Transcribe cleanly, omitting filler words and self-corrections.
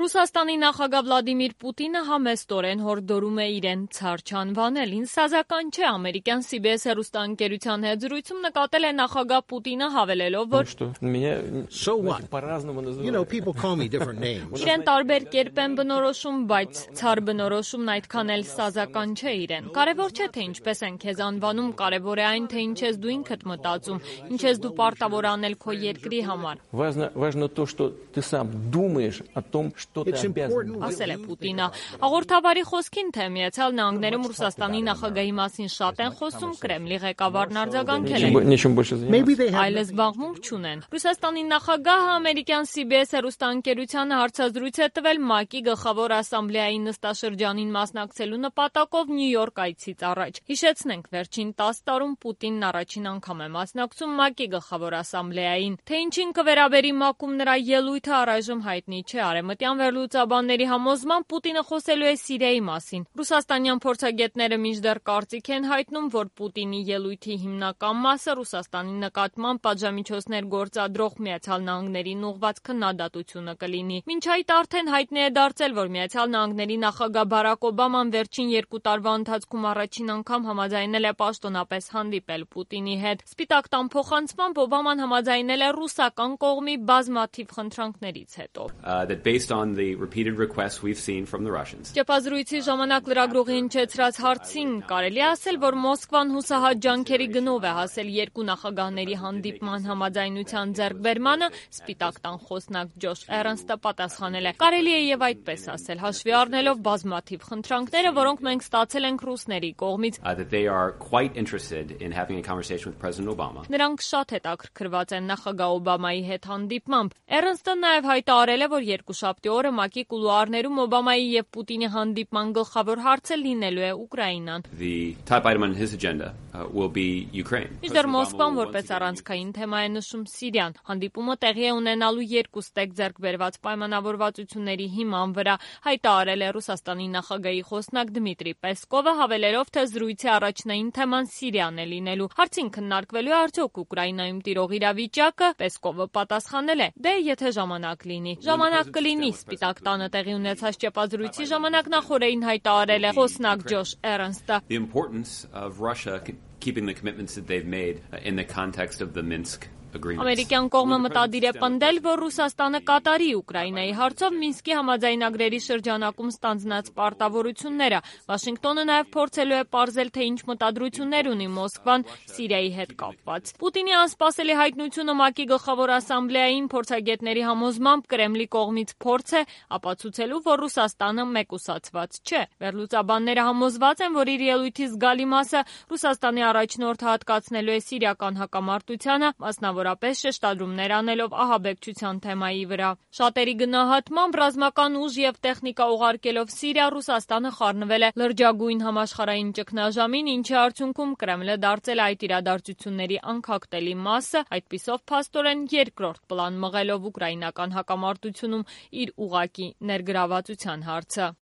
Ռուսաստանի նախագահ Վլադիմիր Պուտինը համեստորեն հորդորում է իրեն ցար չանվանել։ Ինձ չէ, ամերիկյան CBS հեռուստաընկերության հետ զրույցում նկատել է նախագահ Պուտինը հավելելով, որ իրեն տարբեր կերպ են բնորոշում, բայց ցար բնորոշումն այդքան էլ սազական չէ իրեն։ Կարևոր չէ, թե ինչպես են քեզ անվանում, կարևոր է այն, թե ինչ ես դու ինքդ մտածում, ինչ ես դու պարտավոր անել քո երկրի համար։ Ասել է Պուտինը։ Հաղորդավարի խոսքին, թե Միացյալ Նահանգներում Ռուսաստանի նախագահի մասին շատ են խոսում, Կրեմլի ղեկավարն արձագանքել է։ Այլ զբաղմունք չունեն։ Ռուսաստանի նախագահը ամերիկյան CBS հեռուստաընկերությանը հարցազրույց է տվել ՄԱԿ-ի գլխավոր ասամբլեայի նստաշրջանին մասնակցելու նպատակով Նյու Յորք այցից առաջ։ Հիշեցնենք, վերջին 10 տարում Պուտինն առաջին անգամ է մասնակցում ՄԱԿ-ի գլխավոր ասամբլեային։ Թե ինչին կվերաբերի ՄԱԿ-ում նրա ելույթը առայժմ հայտնի չէ։ Արևմտյան վերլուծաբանների համոզմամբ Պուտինը խոսելու է Սիրիայի մասին։ Ռուսաստանյան փորձագետները մինչդեռ կարծիք են հայտնում, որ Պուտինի ելույթի հիմնական մասը Ռուսաստանի նկատմամբ պատժամիջոցներ գործադրող Միացյալ Նահանգներին ուղղված քննադատությունը կլինի։ Մինչ այդ արդեն հայտնի է դարձել, որ Միացյալ Նահանգների նախագահ Բարակ Օբաման վերջին 2 տարվա ընթացքում առաջին անգամ համաձայնել է պաշտոնապես հանդիպել Պուտինի հետ։ Սպիտակ տան փոխանցմամբ Օբաման համաձայնել է ռուսական կողմի բազմաթիվ խնդրանքներից հետո։ Ճեպազրույցի ժամանակ լրագրողի հնչեցրած հարցին կարելի է ասել, որ Մոսկվան հուսահատ ջանքերի գնով է հասել երկու նախագահների հանդիպման համաձայնության ձեռքբերմանը, Սպիտակ տան խոսնակ Ջոշ Էրնստը պատասխանել է. Կարելի է եւ այդպես ասել, հաշվի առնելով բազմաթիվ խնդրանքները, որոնք մենք ստացել ենք ռուսների կողմից։ Նրանք շատ հետաքրքրված են նախագահ Օբամայի հետ հանդիպմամբ։ Էրնստը նաև հայտարարել է, որ երկուշաբթի օրը ՄԱԿ-ի կուլուարներում Օբամայի եւ Պուտինի հանդիպման գլխավոր հարցը լինելու է Ուկրաինան։ Մինչդեռ Մոսկվան որպես առանցքային թեմա է նշում Սիրիան։ Հանդիպումը տեղի է ունենալու երկու ստեկ ձեռք բերված պայմանավորվածությունների հիման վրա, հայտարարել է Ռուսաստանի նախագահի խոսնակ Դմիտրի Պեսկովը, հավելելով, թե զրույցի առաջնային թեման Սիրիան է լինելու։ Հարցին քննարկվելու է արդյոք Ուկրաինայում տիրող իրավիճակը, Պեսկովը պատասխանել է. Դե եթե ժամանակ լինի։ Ժամանակ կլինի։ Սպիտակ տանը տեղի ունեցած ճեպազրույցի ժամանակ նախորդին հայտարարել է խոսնակ Ջոշ Էրնստը. Ամերիկյան կողմը մտադիր է պնդել, որ Ռուսաստանը կատարի Ուկրաինայի հարցով Մինսկի համաձայնագրերի շրջանակում ստանձնած պարտավորությունները։ Վաշինգտոնը նաև փորձելու է պարզել, թե ինչ մտադրություններ ունի Մոսկվան Սիրիայի հետ կապված։ Պուտինի անսպասելի հայտնությունը ՄԱԿ-ի գլխավոր ասամբլեային փորձագետների համոզմամբ Կրեմլի կողմից փորձ է ապացուցելու, որ Ռուսաստանը մեկուսացված չէ։ Վերլուծաբանները համոզված են, որ իր ելույթի զգալի մասը Ռուսաստանի առաջնորդը հատկացնելու է սիրիական հակամարտությանը, մասնավորապես շեշտադրումներ անելով ահաբեկչության թեմայի վրա։ Շատերի գնահատմամբ ռազմական ուժ եւ տեխնիկա ուղարկելով Սիրիա, Ռուսաստանը խառնվել է լրջագույն համաշխարհային ճգնաժամին, ինչի արդյունքում Կրեմլը դարձել է այդ իրադարձությունների անքակտելի մասը, այդպիսով փաստորեն երկրորդ պլան մղելով ուկրաինական հակամարտությունում իր ուղղակի ներգրավվածության հարցը։